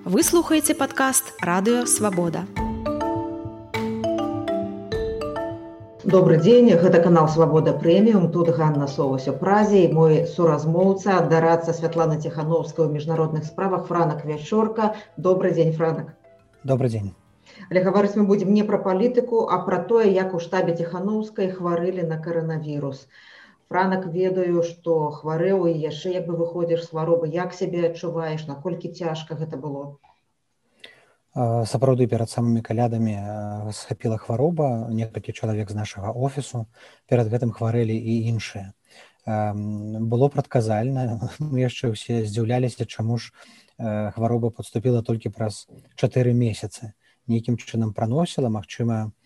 Вы слухаеце падкаст «Радыё Свабода». Добрый дзень, гэта канал Свабода Прэміум, тут Ганна Соўвась у Празе і мой суразмоўца, дарадца Святлана Ціхановская ў міжнародных справах Франак Вячорка. Добрый дзень, Франак. Добрый дзень. Але гаварыць мы будзем не пра палітыку, а пра тое, як у штабе Ціхановскай хварылі на каранавірус. Франак, ведаю, што хварэў і яшчэ як бы выходзіш з хваробы. Як сябе адчуваеш, наколькі цяжка гэта было? Сапраўды, перад самымі калядамі схапіла хвароба, некалькі чалавек з нашага офісу, перад гэтым хварэлі і іншыя. Было прадказальна, мы яшчэ ўсе здзіўляліся, чаму ж хвароба падступіла толькі праз 4 месяцы. Нейкім чынам праносіла, магчыма,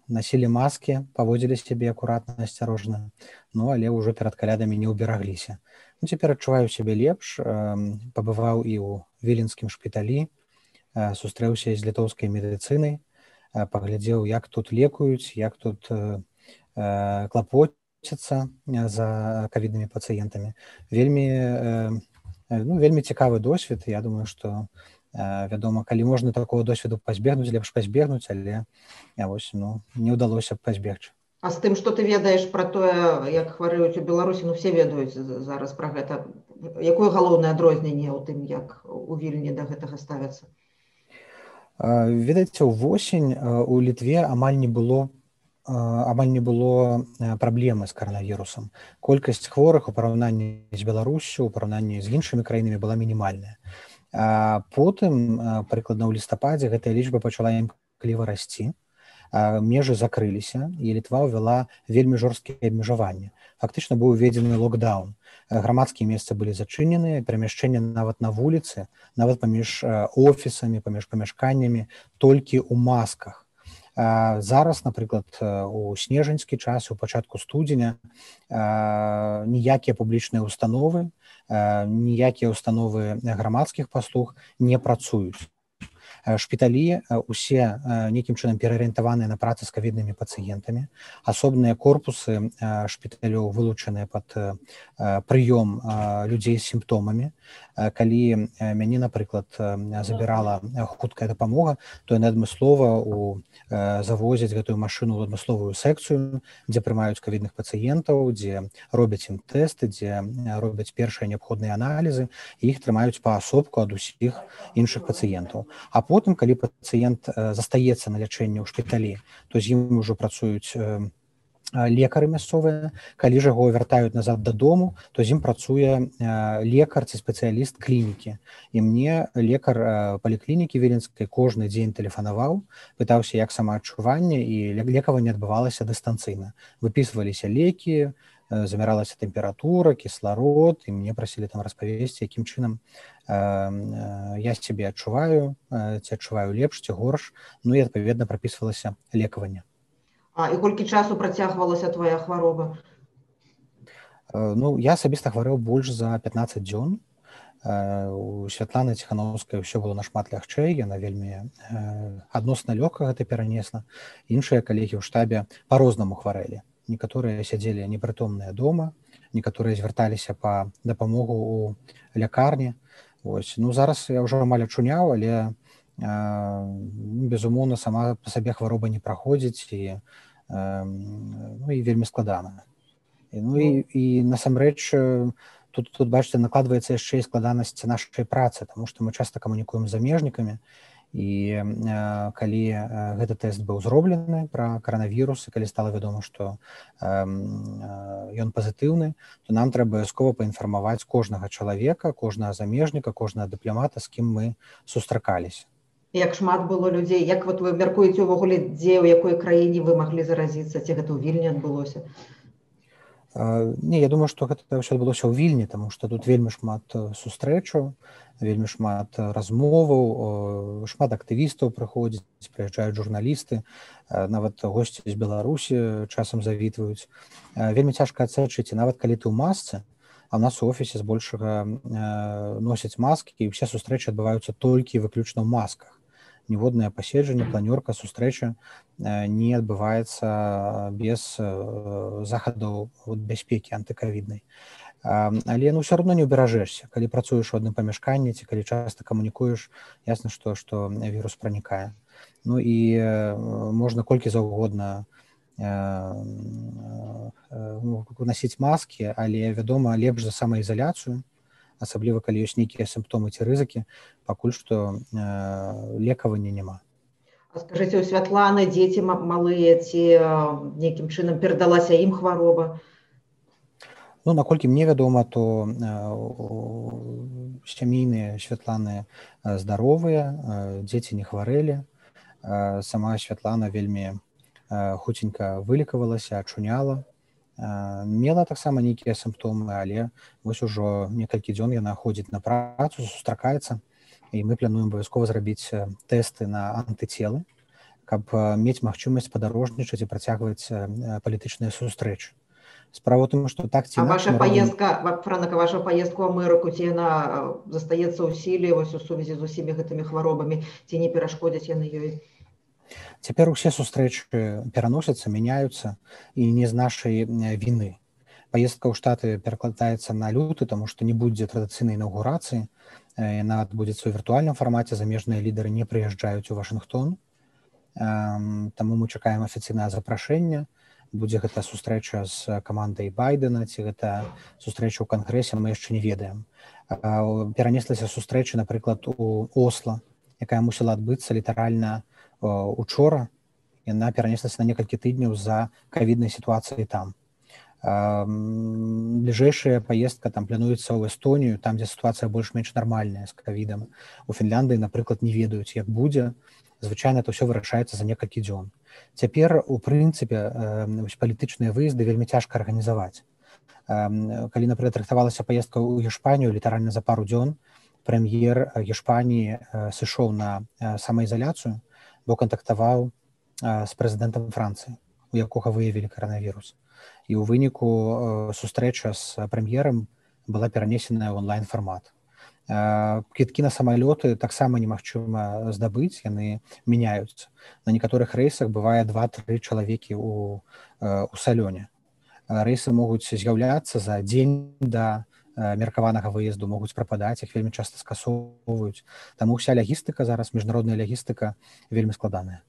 насілі маскі, паводзілі сябе акуратна, асцярожна, але ўжо перад калядамі не ўберагліся. Цяпер адчуваю сябе лепш, пабываў і ў віленскім шпіталі, сустрэўся з літоўскай медыцынай, паглядзеў, як тут лекуюць, як тут клапоцяцца за ковіднымі пацыентамі. Вельмі цікавы досвед. Я думаю, што, вядома, калі можна такого досведу пазбегнуць, лепш пазбегнуць, але не ўдалося б пазбегчы. А з тым, што ты ведаеш пра тое, як хварэюць у Беларусі, все ведаюць зараз пра гэта. Якое галоўнае адрозненне ў тым, як у Вільні да гэтага ставяцца? Ведаеце, увосень у Літве амаль не было праблемы з каранавірусам. Колькасць хворых у параўнанні з Беларуссю, у параўнанні з іншымі краінамі была мінімальная. Потым, прыкладна ў лістападзе, гэтая лічба пачала імкліва расці, межы закрыліся, і Літва ўвяла вельмі жорсткія абмежаванні. Фактычна быў уведзены локдаун. Грамадскія месцы былі зачынены, перамяшчэнне нават на вуліцы, нават паміж офісамі, паміж памяшканнямі, толькі ў масках. Зараз, напрыклад, у снежаньскі час, у пачатку студзеня, ніякія публічныя установы, ніякія установы грамадскіх паслуг не працуюць. Шпіталі усе нейкім чынам пераарыентаваныя на працу з ковіднымі пацыентамі. Асобныя корпусы шпіталёў вылучаныя пад прыём людзей з сімптомамі. Калі мяне, напрыклад, забірала хуткая дапамога, то яны адмыслова завозяць гэтую машыну ў адмысловую секцыю, дзе прымаюць ковідных пацыентаў, дзе робяць ім тэсты, дзе робяць першыя неабходныя аналізы, і іх трымаюць паасобку ад усіх іншых пацыентаў. А потым, калі пацыент застаецца на лячэнні ў шпіталі, то з ім ужо працуюць лекары мясцовыя. Калі ж яго вяртаюць назад дадому, то з ім працуе лекар ці спецыяліст клінікі. І мне лекар паліклінікі віленскай кожны дзень тэлефанаваў, пытаўся, як самаадчуванне, і лекаванне адбывалася дыстанцыйна. Выпісваліся лекі, замяралася тэмпература, кісларод, і мне прасілі там распавесці, якім чынам я сябе адчуваю, ці адчуваю лепш, ці горш, і адпаведна прапісвалася лекаванне. І колькі часу працягвалася твая хвароба? Я асабіста хварэў больш за 15 дзён. У Святланы Ціхановскай ўсё было нашмат лягчэй, яна вельмі адносна лёгка гэта перанесла. Іншыя калегі ў штабе па-рознаму хварэлі. Некаторыя сядзелі непрытомныя дома, некаторыя звярталіся па дапамогу ў лякарні. Зараз я ўжо амаль ачуняў, але безумоўна, сама па сабе хвароба не праходзіць, і вельмі складана. І насамрэч, тут, бачыце, накладваецца яшчэ і складанасць нашай працы, таму што мы часта камунікуем з замежнікамі, і калі гэты тэст быў зроблены пра каранавірус, і калі стала вядома, што ён пазітыўны, то нам трэба абавязкова паінфармаваць кожнага чалавека, кожнага замежніка, кожнага дыпламата, з кім мы сустракаліся. Як шмат было людзей? Як вы мяркуеце ўвогуле, дзе, у якой краіне вы маглі заразіцца? Ці гэта ў Вільні адбылося? Не, я думаю, што гэта ўсё адбылося ў Вільні, таму што тут вельмі шмат сустрэчаў, вельмі шмат размоваў, шмат актывістаў прыходзяць, прыязджаюць журналісты, нават госці з Беларусі часам завітваюць. Вельмі цяжка адсачыць, нават калі ты ў масцы, а ў нас у офісе збольшага носяць маскі, і ўсе сустрэчы адбываюцца толькі выключна ў масках. Ніводнае паседжанне, планёрка, сустрэча не адбываецца без захадаў бяспекі антыкавіднай. Але ўсё роўно не ўберажэшся, калі працуеш у адным памяшканні ці калі часта камунікуеш, ясна, што вірус пранікае. Ну і можна колькі заўгодна насіць маскі, але вядома, лепш за самаізаляцыю, асабліва калі ёсць нейкія сімптомы ці рызыкі, пакуль што лекавання няма. А скажыце, у Святланы дзеці малыя ці нейкім чынам перадалася ім хвароба? Ну, наколькі мне вядома, то сямейныя Святланы здаровыя, дзеці не хварэлі. Сама Святлана вельмі хуценька вылікавалася, ачуняла. Мела таксама нейкія сімптомы, але вось ужо некалькі дзён яна ходзіць на працу, сустракаецца, і мы плануем абавязкова зрабіць тэсты на антыцелы, каб мець магчымасць падарожнічаць і працягваць палітычныя сустрэчы. Справа ў тым, што так ці інакш... А ваша паездка, Франак, ваша паездка ў Амерыку, ці яна застаецца ў сіле вось у сувязі з усімі гэтымі хваробамі, ці не перашкодзяць яны ёй? Цяпер усе сустрэчы пераносяцца, мяняюцца, і не з нашай віны. Паездка ў Штаты перакладаецца на люты, таму што не будзе традыцыйнай інаўгурацыі, яна адбудзецца ў віртуальным фармаце, замежныя лідары не прыязджаюць у Вашынгтон, таму мы чакаем афіцыйнае запрашэнне. Будзе гэта сустрэча з камандай Байдена, ці гэта сустрэча ў Кангрэсе, мы яшчэ не ведаем. Перанеслася сустрэча, напрыклад, у Осла, якая мусіла адбыцца літаральна учора. Яна перанеслася на некалькі тыдняў з-за ковіднай сітуацыі там. Бліжэйшая паездка там плануецца ў Эстонію, там, дзе сітуацыя больш-менш нармальная з ковідам. У Фінляндыі, напрыклад, не ведаюць, як будзе. Звычайна это ўсё вырашаецца за некалькі дзён. Цяпер, у прынцыпе, палітычныя выезды вельмі цяжка арганізаваць. Калі, напрыклад, рыхтавалася паездка ў Гешпанію, літаральна за пару дзён прэм'ер Гешпаніі сышоў на самаізаляцыю, бо кантактаваў з прэзідэнтам Францыі, у якога выявілі каранавірус. І ў выніку сустрэча з прэм'ерам была перанесеная ў онлайн-фармат. Квіткі на самалёты таксама немагчыма здабыць, яны мяняюцца. На некаторых рэйсах бывае 2-3 чалавекі ў салёне. Рэйсы могуць з'яўляцца за дзень да меркаванага выезду, могуць прападаць, іх вельмі часта скасоўваюць. Таму ўся лягістыка зараз, міжнародная лягістыка, вельмі складаная.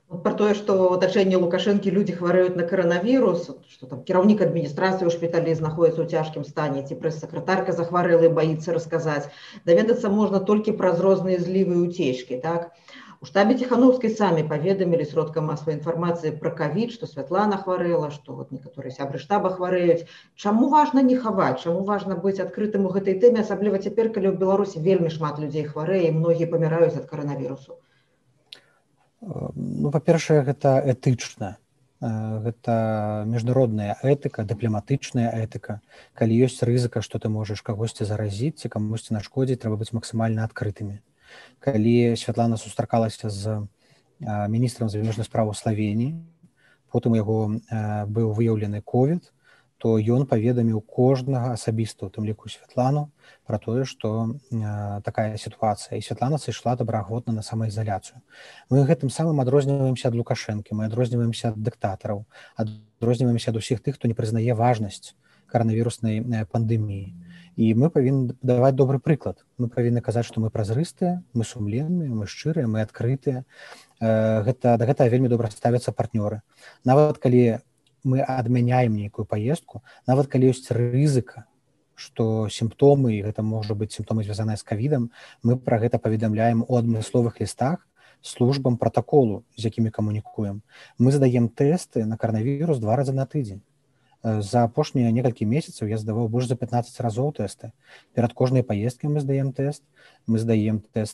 Про тое, што ў атачэнні Лукашэнкі людзі хварэюць на каранавірус, што там кіраўнік адміністрацыі ў шпіталі знаходзіцца ў цяжкім стане, ці прэс-сакратарка захварэла і баіцца расказаць. Даведацца можна толькі праз розныя злівы і уцечкі, так? У штабе Ціханаўскай самі паведамілі сродкам масавай інфармацыі пра ковід, што Святлана хварэла, што вот некаторыя сябры штаба хварэюць. Чаму важна не хаваць? Чаму важна быць адкрытым у гэтай тэме, асабліва цяпер, калі ў Беларусі вельмі шмат людзей хварэе і многія паміраюць ад каранавірусу? Ну, па-першае, гэта этычна. Гэта міжнародная этыка, дыпламатычная этыка. Калі ёсць рызыка, што ты можаш кагосьці заразіць ці камусьці нашкодзіць, трэба быць максімальна адкрытымі. Калі Святлана сустракалася з міністрам замежных спраў Славеніі, потым у яго быў выяўлены ковід, то ён паведаміў кожнага асабіста, у тым ліку Святлану, пра тое, што такая сітуацыя. І Святлана сышла добраахвотна на самаізаляцыю. Мы гэтым самым адрозніваемся ад Лукашэнкі, мы адрозніваемся ад дыктатараў, адрозніваемся ад усіх тых, хто не прызнае важнасць каранавіруснай пандэміі. І мы павінны даваць добры прыклад. Мы павінны казаць, што мы празрыстыя, мы сумленныя, мы шчырыя, мы адкрытыя. Да гэтага вельмі добра ставяцца партнёры. Нават калі мы адмяняем нейкую паездку, нават калі ёсць рызыка, што сімптомы, і гэта можа быць сімптомы, звязаныя з ковідам, мы пра гэта паведамляем у адмысловых лістах службам пратаколу, з якімі камунікуем. Мы здаем тэсты на каранавірус 2 разы на тыдзень. За апошнія некалькі месяцаў я здаваў больш за 15 разоў тэсты. Перад кожнай паездкай мы здаем тэст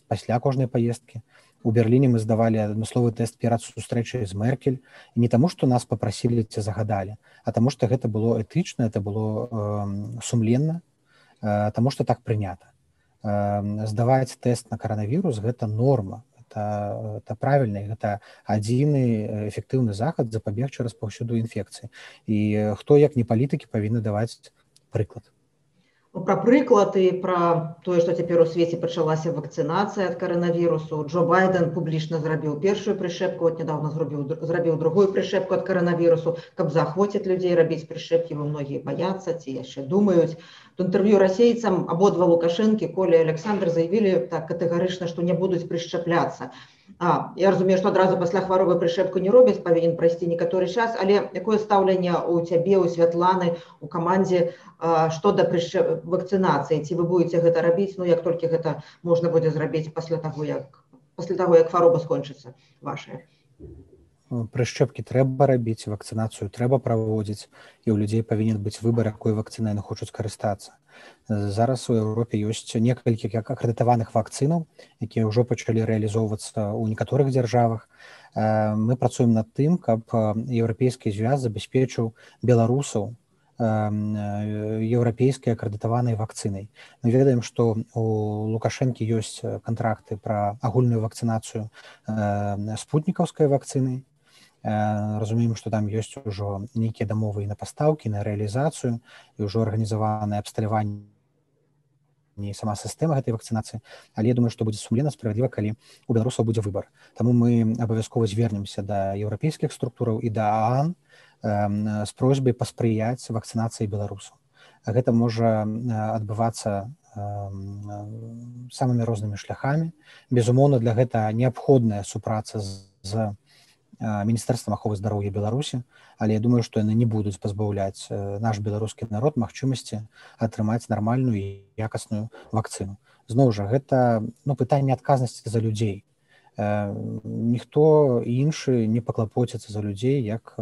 пасля кожнай паездкі. У Берліне мы здавалі адмысловы тэст перад сустрэчай з Меркель. І не таму, што нас папрасілі ці загадалі, а таму, што гэта было этычна, это было сумленна, таму, што так прынята. Здаваць тэст на каранавірус – гэта норма, это правільна, гэта адзіны эфектыўны захад запабегчы распаўсюду інфекцыі. І хто, як не палітыкі, павінны даваць прыклад. Пра прыклад і пра тое, што цяпер у свеце пачалася вакцынацыя ад каранавірусу. Джо Байден публічна зрабіў першую прышэпку, от нядаўна зрабіў другую прышэпку ад каранавірусу, каб заахвоціць людзей рабіць прышэпкі, бо многія баяцца ці яшчэ думаюць. В інтэрв'ю расейцам абодва Лукашэнкі, Коля і Александр заявілі так катэгарычна, што не будуць прышчапляцца. Я разумею, што адразу пасля хваробы прышэпку не робяць, павінен прайсці некаторы час, але якое стаўленне ў цябе, у Святланы, у камандзе што да вакцынацыі? Ці вы будете гэта рабіць, ну як толькі гэта можна будзе зрабіць пасля таго, як хвароба скончыцца вашая? Прышчэпкі трэба рабіць, вакцынацыю трэба праводзіць, і ў людзей павінен быць выбар, якой вакцынай яны хочуць карыстацца. Зараз у Еўропе ёсць некалькі акрэдытаваных вакцынаў, якія ўжо пачалі рэалізоўвацца ў некаторых дзяржавах. Мы працуем над тым, каб еўрапейскі звяз забяспечыў беларусаў еўрапейскай акрэдытаванай вакцынай. Мы ведаем, што у Лукашэнкі ёсць кантракты пра агульную вакцынацыю спутнікаўскай вакцынай. Разумеем, што там ёсць ужо нейкія дамовы і на пастаўкі, на рэалізацыю, і ўжо арганізаванае абсталяванне і сама сістэма гэтай вакцынацыі. Але я думаю, што будзе сумленна, справядліва, калі у беларусаў будзе выбар. Таму мы абавязкова звернемся да еўрапейскіх структураў і да ААН з просьбай паспрыяць вакцынацыі беларусаў. Гэта можа адбывацца самымі рознымі шляхамі. Безумоўна, для гэта неабходная супраца з Міністэрствам аховы здароўя Беларусі, але я думаю, што яны не будуць пазбаўляць наш беларускі народ магчымасці атрымаць нармальную і якасную вакцыну. Зноў жа, гэта пытанне адказнасці за людзей. Ніхто іншы не паклапоціцца за людзей, як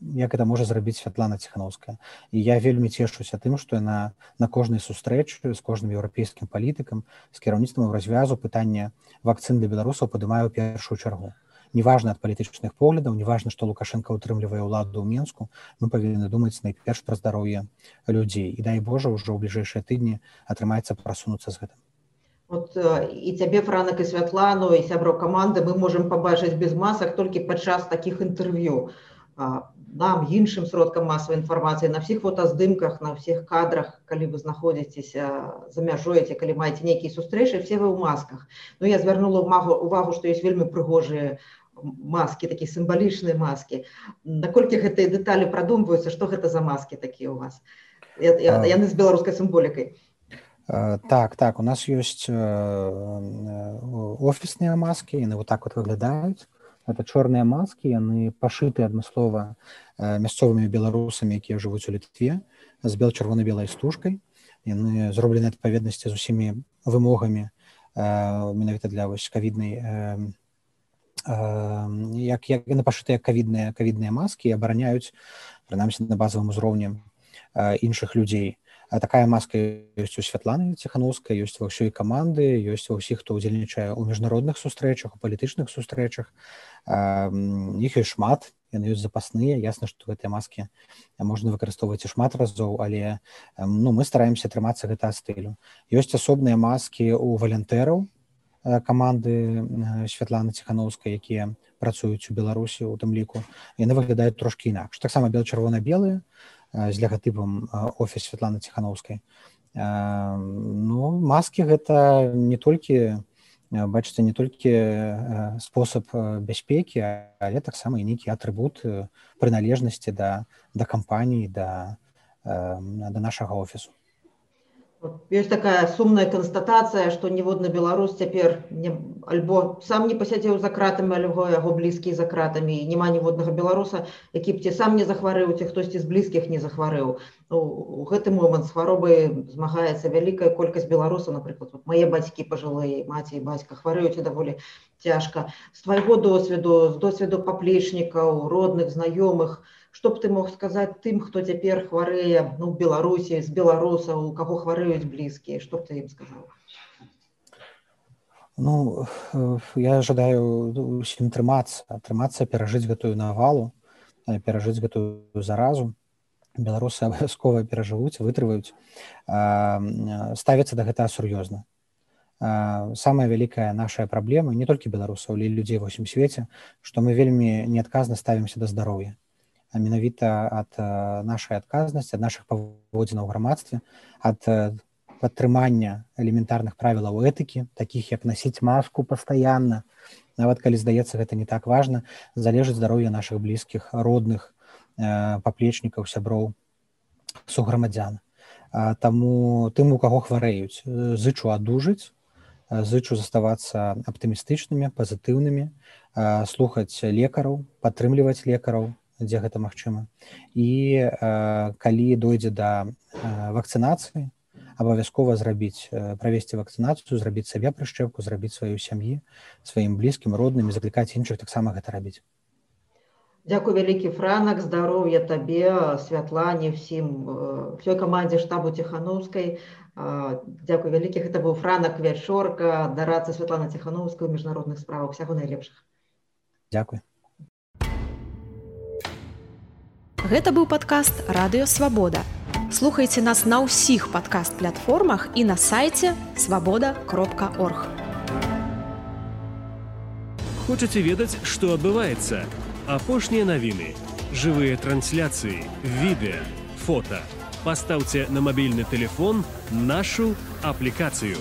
гэта можа зрабіць Святлана Ціханаўская. І я вельмі цешуся тым, што яна на кожнай сустрэчы з кожным еўрапейскім палітыкам, з кіраўніцтвам развязу пытання вакцын для беларусаў падымае ў першую чаргу. Неважна ад палітычных поглядаў, неважна, што Лукашенко ўтрымлівае ўладу ў Менску, мы павінны думаць найперш пра здароўе людзей. І дай Божа, ўжо ў бліжэйшыя тыдні атрымаецца прасунуцца з гэтым. От і цябе, Франак, і Святлану, і сяброў каманды мы можам пабачыць без масак толькі падчас такіх інтэрв'ю. Нам, іншым сродкам масавай інфармацыі, на ўсіх фотаздымках, на ўсіх кадрах, калі вы знаходзіцеся за мяжой, калі маеце нейкія сустрэчы, все вы ў масках. Ну, я звярнула увагу, што ёсць вельмі прыгожыя маски, такія сімвалічныя маски. Наколькі гэтыя дэталі прадумваюцца, што гэта за маски такія ў вас? Яны з беларускай сімволікай. Так, у нас ёсць офісныя маски, яны вот так вот выглядаюць. Это чорныя маскі, яны пашыты адмыслова мясцовымі беларусамі, якія жывуць у Літве, з бел-чырвона-белай стужкай. Яны зроблены адпаведнасці з усімі вымогамі менавіта для кавіднай, як яны пашытыя кавідныя маскі і абараняюць, прынамсі на базавым узроўні іншых людзей. Такая маска ёсць у Святланы Ціханаўскай, ёсць ва ўсёй каманды, ёсць ва ўсіх, хто ўдзельнічае ў міжнародных сустрэчах, у палітычных сустрэчах. Іх ёсць шмат, яны ёсць запасныя. Ясна, што гэтыя маскі можна выкарыстоўваць і шмат разоў, але мы стараемся трымацца гэтага стылю. Ёсць асобныя маскі ў валянтэраў каманды Святланы Ціханаўскай, якія працуюць у Беларусі, у тым ліку. Яны выглядаюць трошкі інакш. Таксама бел-чырвона-белыя, з логатипом офіс Святланы Ціханаўскай. Маски гэта не толькі, бачыце, не толькі спосаб бяспекі, але таксама і нейкі атрыбут прыналежнасці да кампаніі, да нашага офісу. Ёсць такая сумная канстатацыя, што ніводны беларус цяпер альбо сам не пасядзеў за кратамі, альбо яго блізкія за кратамі. Няма ніводнага беларуса, які б ці сам не захварэў, ці хтосьці з блізкіх не захварэў. У гэты момант з хваробай змагаецца вялікая колькасць беларусаў. Напрыклад, мае бацькі пажылыя, маці і бацька хварэюць даволі цяжка. З твайго досведу, з досведу паплечнікаў, родных, знаёмых, што б ты мог сказаць тым, хто цяпер хварэе ў Беларусі, з беларусаў, у каго хварэюць блізкія? Што б ты ім сказаў? Я жадаю усім трымацца, перажыць гэтую навалу, перажыць гэтую заразу. Беларусы абавязкова перажывуць, вытрываюць, ставяцца да гэтага сур'ёзна. Самая вялікая наша праблема, не толькі беларусаў, але і людзей ва ўсім свеце, што мы вельмі неадказна ставімся да здароўя. менавіта ад нашай адказнасці, ад нашых паводзінаў у грамадстве, ад падтрымання элементарных правілаў этыкі, такіх як насіць маску пастаянна, нават калі здаецца гэта не так важна, залежыць здароўе нашых блізкіх, родных, паплечнікаў, сяброў, суграмадзян. Таму тым, у каго хварэюць, зычу адужаць, зычу заставацца аптымістычнымі, пазітыўнымі, слухаць лекараў, падтрымліваць лекараў, дзе гэта магчыма. І калі дойдзе да вакцынацыі, абавязкова правесці вакцынацыю, зрабіць сабе прышчэпку, зрабіць сваёй сям'і, сваім блізкім, родным і заклікаць іншых таксама гэта рабіць. Дзякуй вялікі, Франак, здароўя табе, Святлане, ўсёй камандзе штабу Ціханаўскай. Дзякуй вялікі, гэта быў Франак Вячорка, дарадца Святлана Ціханаўская ў міжнародных справах. Усяго найлепшага. Дзякуй. Гэта быў падкаст «Радыё Свабода». Слухайце нас на ўсіх падкаст-платформах і на сайце свабода.орг. Хочаце ведаць, што адбываецца? Апошнія навіны, жывыя трансляцыі, відэа, фота. Пастаўце на мабільны тэлефон нашу аплікацыю.